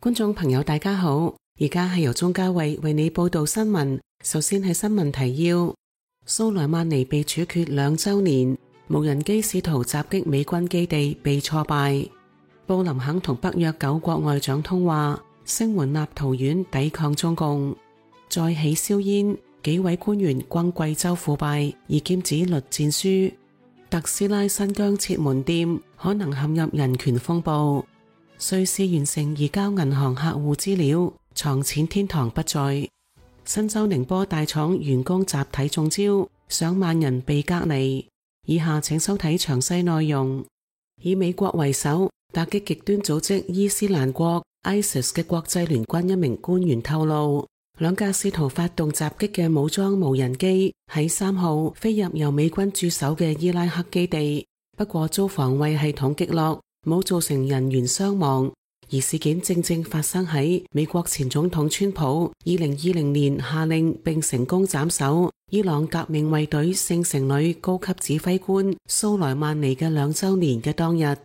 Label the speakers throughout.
Speaker 1: 觀眾朋友大家好，而家係由鍾嘉慧為你報道新聞。首先係新聞提要：蘇萊曼尼被處決2週年，無人機試圖襲擊美軍基地被挫敗。布林肯同北約9國外長通話，聲援立陶宛抵抗中共。再起硝煙，幾位官員轟貴州腐敗，而劍指栗戰書。特斯拉新疆設門店，可能陷入人權風暴。瑞士完成移交銀行客戶資料，藏錢天堂不再。新州寧波大廠員工集體中招，上萬人被隔離。以下請收睇詳細內容。以美國為首，打擊極端組織伊斯蘭國 ISIS 嘅國際聯軍一名官員透露，2架試圖發動襲擊嘅武裝無人機喺3號飛入由美軍駐守嘅伊拉克基地，不過遭防衛系統擊落，冇造成人員傷亡。而事件正正發生喺美國前總統川普2020年下令並成功斬首伊朗革命衛隊聖城旅高級指揮官蘇萊曼尼嘅2週年嘅當日。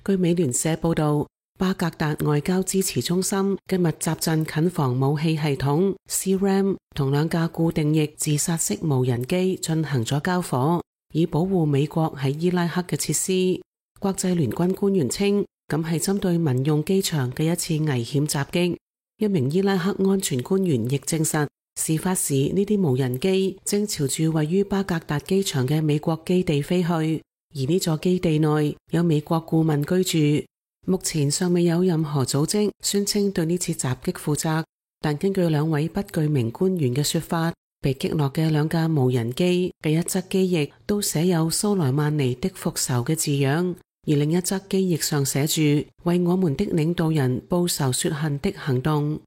Speaker 1: 據美聯社報道，巴格達外交支持中心嘅密集陣近防武器系統 CRAM 同2架固定翼自殺式無人機進行咗交火，以保護美國喺伊拉克嘅設施。國際聯軍官員稱，咁係針對民用機場嘅一次危險襲擊。一名伊拉克安全官員亦證實，事發時呢啲無人機正朝住位於巴格達機場嘅美國基地飛去，而呢座基地內有美國顧問居住。目前尚未有任何組織宣稱對呢次襲擊負責，但根據2位不具名官員嘅說法，被擊落嘅2架無人機嘅一側機翼都寫有蘇萊曼尼的復仇嘅字樣，而另一側機翼上寫住為我們的領導人報仇雪恨的行動。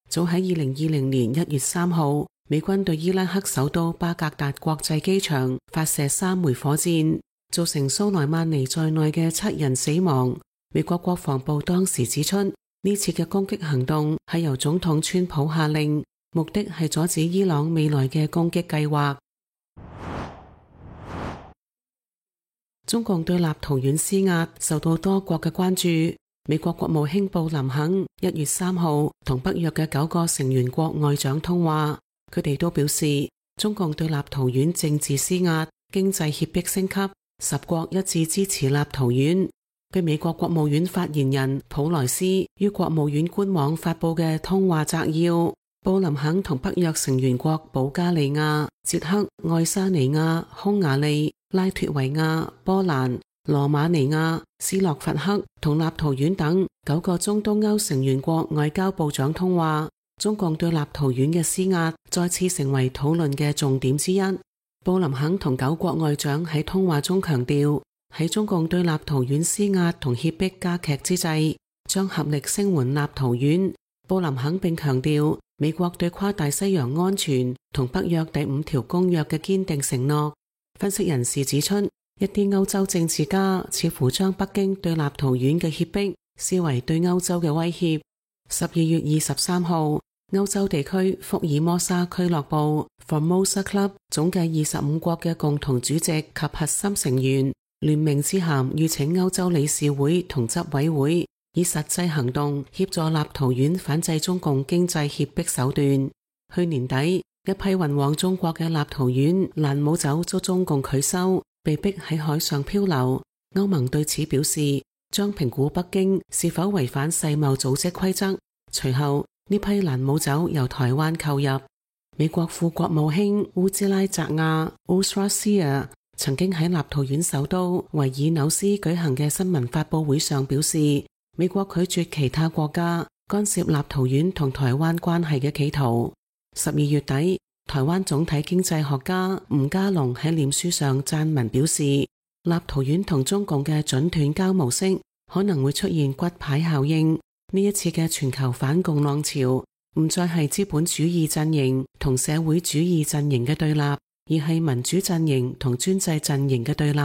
Speaker 1: 早喺2020年1月3號，美軍對伊拉克首都巴格達國際機場發射3枚火箭，造成蘇萊曼尼在內嘅7人死亡。美國國防部當時指出，呢次嘅攻擊行動係由總統川普下令，目的係阻止伊朗未來嘅攻擊計劃。中共對立陶宛施壓受到多國嘅關注。美國國務卿布林肯1月3號同北約嘅9個成員國外長通話，佢哋都表示中共對立陶宛政治施壓、經濟脅迫升級，10國一致支持立陶宛。據美國國務院發言人普萊斯於國務院官網發佈嘅通話摘要，布林肯同北約成員國保加利亞、捷克、愛沙尼亞、匈牙利、拉脫維亞、波蘭、羅馬尼亞、斯洛伐克同立陶宛等9個中東歐成員國外交部長通話，中共對立陶宛嘅施壓再次成為討論嘅重點之一。布林肯同9國外長喺通話中強調，喺中共對立陶宛施壓同脅迫加劇之際，將合力聲援立陶宛。布林肯並強調美國對跨大西洋安全同北約第5條公約嘅堅定承諾。分析人士指出，一啲歐洲政治家似乎將北京對立陶宛嘅脅迫視為對歐洲嘅威脅。12月23號，歐洲地區福爾摩沙俱樂部 Formosa Club 總計25國嘅共同主席及核心成員聯名致函籲請歐洲理事會同執委會以實際行動協助立陶宛反制中共經濟脅迫手段。去年底，一批運往中國嘅立陶宛蘭姆酒遭中共拒收，被逼喺海上漂流。歐盟對此表示，將評估北京是否違反世貿組織規則。隨後，呢批蘭姆酒由台灣購入。美國副國務卿烏茲拉澤亞 Uzra Seer 曾經喺立陶宛首都維爾紐斯舉行嘅新聞發佈會上表示，美國拒絕其他國家干涉立陶宛同台灣關係嘅企圖。12月底，台灣總體經濟學家吳家龍喺臉書上撰文表示，立陶宛同中共嘅準斷交模式可能會出現骨牌效應。呢一次嘅全球反共浪潮唔再係資本主義陣營同社會主義陣營嘅對立，而係民主陣營同專制陣營嘅對立。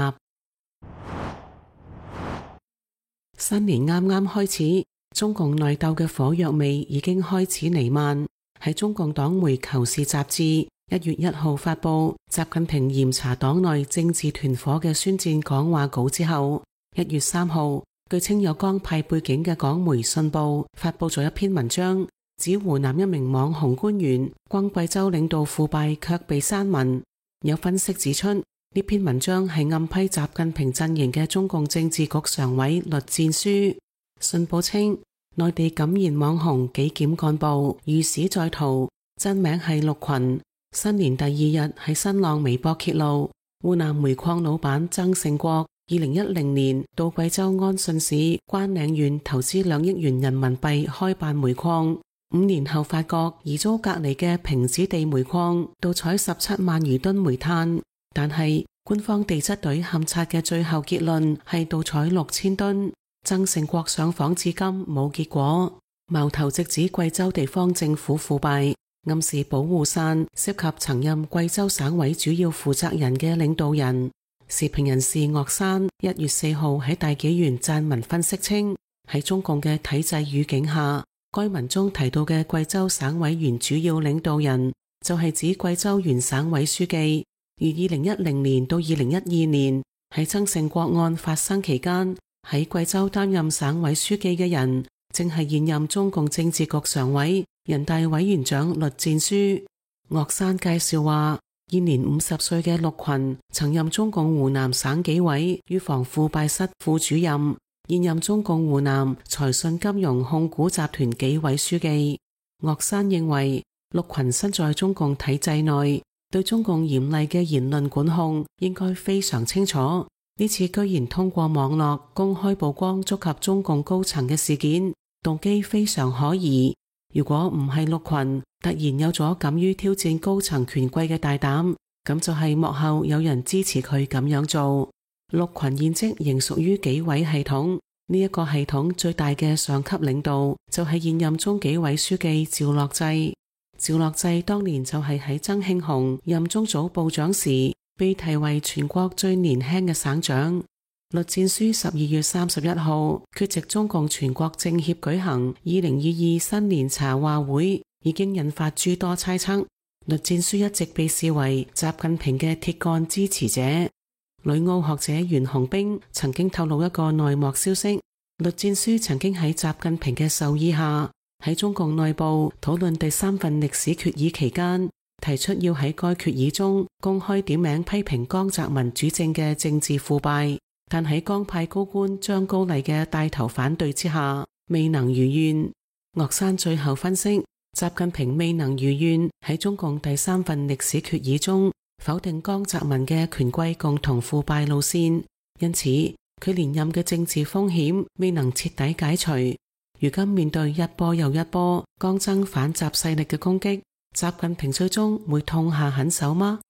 Speaker 1: 新年啱啱開始，中共內鬥嘅火藥味已經開始彌漫。喺中共黨媒《求是》雜誌1月1號發佈習近平嚴查黨內政治團伙嘅宣戰講話稿之後，1月3號，據稱有江派背景嘅港媒《信報》發佈咗一篇文章，指湖南一名網紅官員轟貴州領導腐敗卻被刪文。有分析指出，呢篇文章係暗批習近平陣營嘅中共政治局常委栗戰書。信報稱，內地敢言網紅紀檢幹部遇事在逃，真名係陸群。新年第二日喺新浪微博揭露，湖南煤礦老闆曾勝國2010年到貴州安順市關嶺縣投資2億元人民幣開辦煤礦，5年後發覺疑遭隔離嘅平子地煤礦盜採17萬餘噸煤炭，但係官方地質隊勘測嘅最後結論係盜採6000噸。曾勝國上訪至今冇結果，矛頭直指貴州地方政府腐敗，暗示保護傘涉及曾任貴州省委主要負責人嘅領導人。時評人士岳山1月4號喺大紀元撰文分析稱，喺中共嘅體制語境下，該文中提到嘅貴州省委原主要領導人就係指貴州原省委書記，而2010年到2012年喺曾勝國案發生期間，喺貴州擔任省委書記嘅人，正係現任中共政治局常委、人大委員長栗戰書。岳山介紹話，現年50歲嘅陸群曾任中共湖南省紀委預防腐敗室副主任，現任中共湖南財信金融控股集團紀委書記。岳山認為，陸群身在中共體制內，對中共嚴厲嘅言論管控應該非常清楚。呢次居然通過網絡公開曝光觸及中共高層嘅事件，動機非常可疑。如果唔係陸群突然有咗敢於挑戰高層權貴嘅大膽，咁就係幕後有人支持佢咁樣做。陸群現職仍屬於紀委系統，呢一個系統最大嘅上級領導就係現任中紀委書記趙樂際。趙樂際當年就係喺曾慶紅任中組部長時被提為全國最年輕嘅省長。栗戰書12月31號缺席中共全國政協舉行2022新年茶話會，已經引發諸多猜測。栗戰書一直被視為習近平嘅鐵桿支持者。旅澳學者袁紅冰曾經透露一個內幕消息，栗戰書曾經喺習近平嘅授意下，喺中共內部討論第3份歷史決議期間，提出要喺該決議中公開點名批評江澤民主政嘅政治腐敗，但喺江派高官張高麗嘅帶頭反對之下，未能如願。岳山最後分析，習近平未能如願喺中共第3份歷史決議中否定江澤民嘅權貴共同腐敗路線，因此佢連任嘅政治風險未能徹底解除。如今面對一波又一波江增反習勢力嘅攻擊，習近平最終會痛下狠手嗎？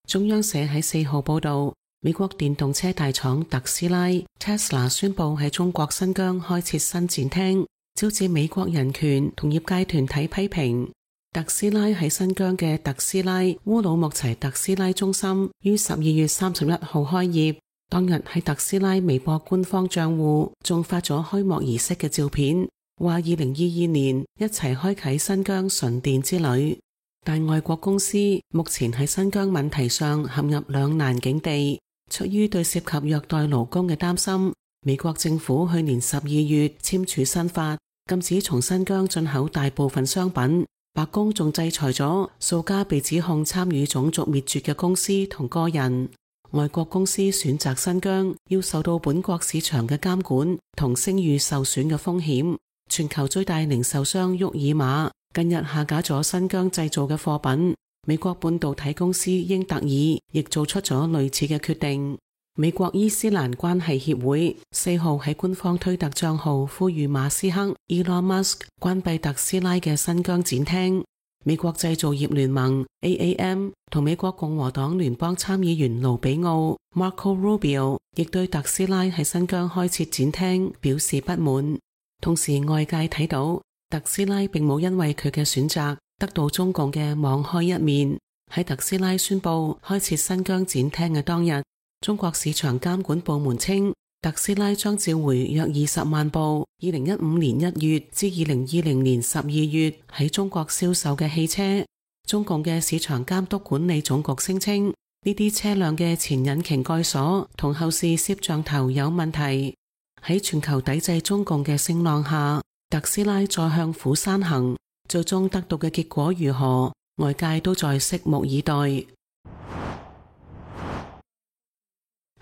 Speaker 1: 中央社喺4號報道，美國電動車大廠特斯拉 Tesla 宣布喺中國新疆開設新展廳，招致美國人權同業界團體批評。特斯拉喺新疆嘅特斯拉烏魯木齊特斯拉中心於12月31號開業，當日喺特斯拉微博官方賬戶仲發咗開幕儀式嘅照片，話2022年一齊開啟新疆純電之旅。但外國公司目前喺新疆問題上陷入兩難境地，出於對涉及虐待勞工嘅擔心，美國政府去年12月簽署新法，禁止從新疆進口大部分商品。白宮仲制裁咗數家被指控參與種族滅絕嘅公司同個人。外國公司選擇新疆，要受到本國市場嘅監管同聲譽受損嘅風險。全球最大零售商沃爾瑪近日下架咗新疆製造嘅貨品，美國半導體公司英特爾亦做出咗類似嘅決定。美國伊斯蘭關係協會4號喺官方推特賬號呼籲馬斯克 Elon Musk 關閉特斯拉嘅新疆展廳。美國製造業聯盟 AAM 同美國共和黨聯邦參議員盧比奧 Marco Rubio 亦對特斯拉喺新疆開設展廳表示不滿。同時外界睇到特斯拉並冇因為佢嘅選擇得到中共嘅網開一面。喺特斯拉宣布開設新疆展廳嘅當日，中國市場監管部門稱，特斯拉將召回約20萬部2015年1月至2020年12月喺中國銷售嘅汽車。中共嘅市場監督管理總局聲稱，呢啲車輛嘅前引擎蓋鎖同後視攝像頭有問題。喺全球抵制中共嘅聲浪下，特斯拉再向虎山行，最終得到嘅結果如何，外界都在拭目以待。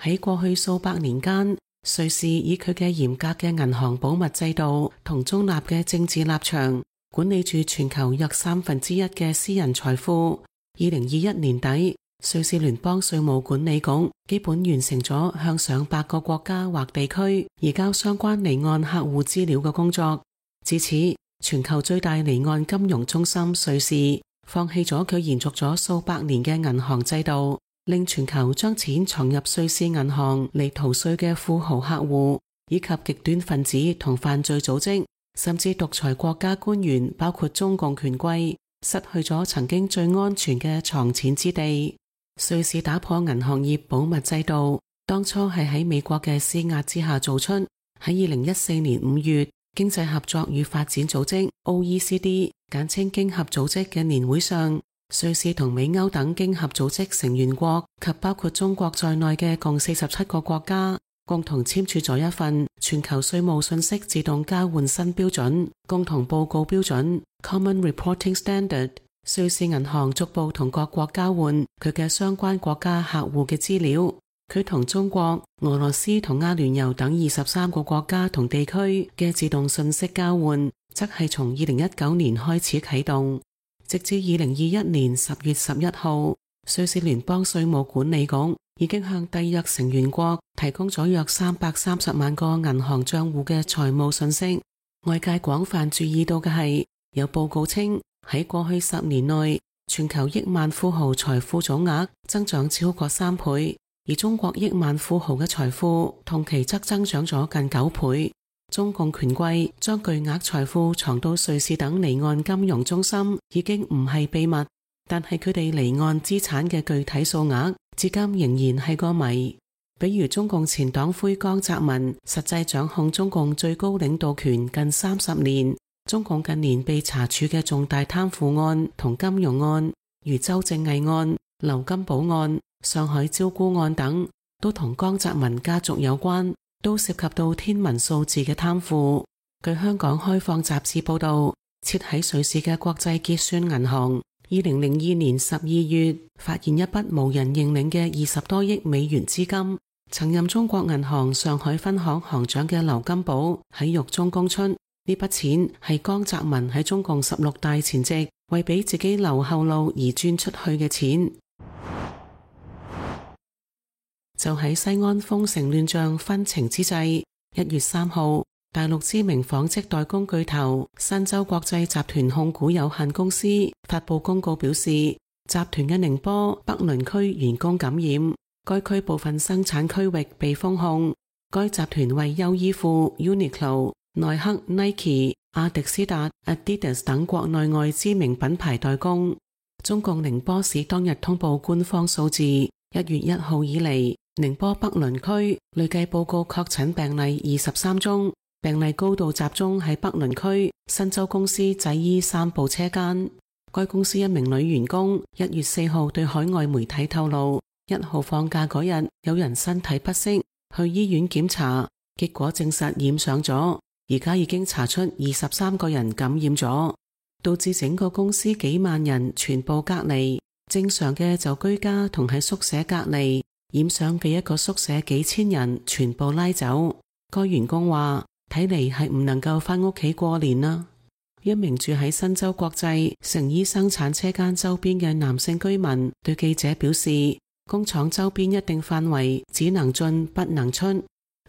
Speaker 1: 喺過去數百年間，瑞士以佢嘅嚴格嘅銀行保密制度同中立嘅政治立場，管理住全球約1/3嘅私人財富。2021年底，瑞士聯邦稅務管理局基本完成咗向上百個國家或地區移交相關離岸客戶資料嘅工作。至此，全球最大離岸金融中心瑞士放棄咗佢延續咗數百年嘅銀行制度，令全球將錢藏入瑞士銀行嚟逃稅嘅富豪客戶，以及極端分子同犯罪組織，甚至獨裁國家官員，包括中共權貴，失去咗曾經最安全嘅藏錢之地。瑞士打破銀行業保密制度，當初係喺美國嘅施壓之下做出。喺2014年5月，經濟合作與發展組織 OECD 簡稱經合組織嘅年會上，瑞士同美歐等經合組織成員國及包括中國在內嘅共47個國家，共同簽署咗一份全球稅務信息自動交換新標準共同報告標準 Common Reporting Standard。瑞士銀行逐步同各國交換佢嘅相關國家客戶嘅資料。佢同中國、俄羅斯同阿聯酋等23個國家同地區嘅自動信息交換，則係從2019年開始啟動，直至2021年10月11號，瑞士聯邦稅務管理局已經向締約成員國提供咗約330萬個銀行賬戶嘅財務信息。外界廣泛注意到嘅係，有報告稱喺過去10年內，全球億萬富豪財富總額增長超過3倍。而中國億萬富豪嘅財富同期則增長咗近9倍。中共權貴將巨額財富藏到瑞士等離岸金融中心已經唔係秘密，但係佢哋離岸資產嘅具體數額至今仍然係個謎。比如中共前黨魁江澤民實際掌控中共最高領導權近30年，中共近年被查處嘅重大貪腐案同金融案，如周正毅案、劉金寶案、上海招孤案等，都同江澤民家族有關，都涉及到天文數字嘅貪腐。據香港開放雜誌報道，設喺瑞士嘅國際結算銀行2002年12月發現一筆無人認領嘅20多億美元資金。曾任中國銀行上海分行行長嘅劉金寶喺獄中供出，呢筆錢係江澤民喺中共16大前夕為俾自己留後路而轉出去嘅錢。就喺西安封城亂象紛呈之際，1月3號，大陸知名紡織代工巨頭新洲國際集團控股有限公司發佈公告表示，集團嘅寧波北侖區員工感染，該區部分生產區域被封控。該集團為優衣庫、Uniqlo、耐克、Nike、阿迪斯達、Adidas 等國內外知名品牌代工。中共寧波市當日通報官方數字，1月1號以嚟，寧波北侖區累計報告確診病例23宗，病例高度集中喺北侖區新洲公司製衣3部車間。該公司一名女員工1月4號對海外媒體透露，1號放假嗰日有人身體不適，去醫院檢查，結果證實染上咗，而家已經查出23個人感染咗，導致整個公司幾萬人全部隔離。正常嘅就居家同喺宿舍隔離，染上嘅一個宿舍幾千人全部拉走。該員工話：睇嚟係唔能夠返屋企過年啦。一名住喺新洲國際成衣生產車間周邊嘅男性居民對記者表示，工廠周邊一定範圍只能進不能出。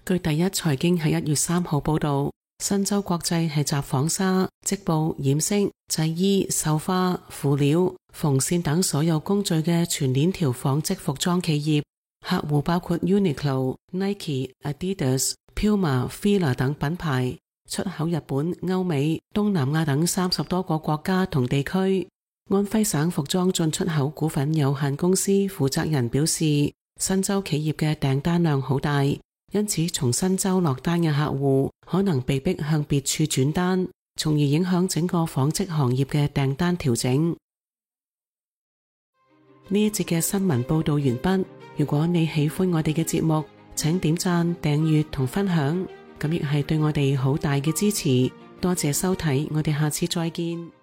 Speaker 1: 據第一財經喺1月3號報道，新洲國際係集紡紗、織布、染色、製衣、繡花、輔料、縫線等所有工序嘅全鏈條紡織服裝企業，客戶包括 Uniqlo、Nike、Adidas、Puma、Fila 等品牌，出口日本、歐美、東南亞等30多個國家同地區。安徽省服裝進出口股份有限公司負責人表示，新洲企業嘅訂單量好大，因此從新洲落單嘅客戶可能被迫向別處轉單，從而影響整個紡織行業嘅訂單調整。呢一節嘅新聞報道完畢。如果你喜歡我哋嘅節目，請點讚、訂閱同分享，咁亦係對我哋好大嘅支持。多謝收睇，我哋下次再見。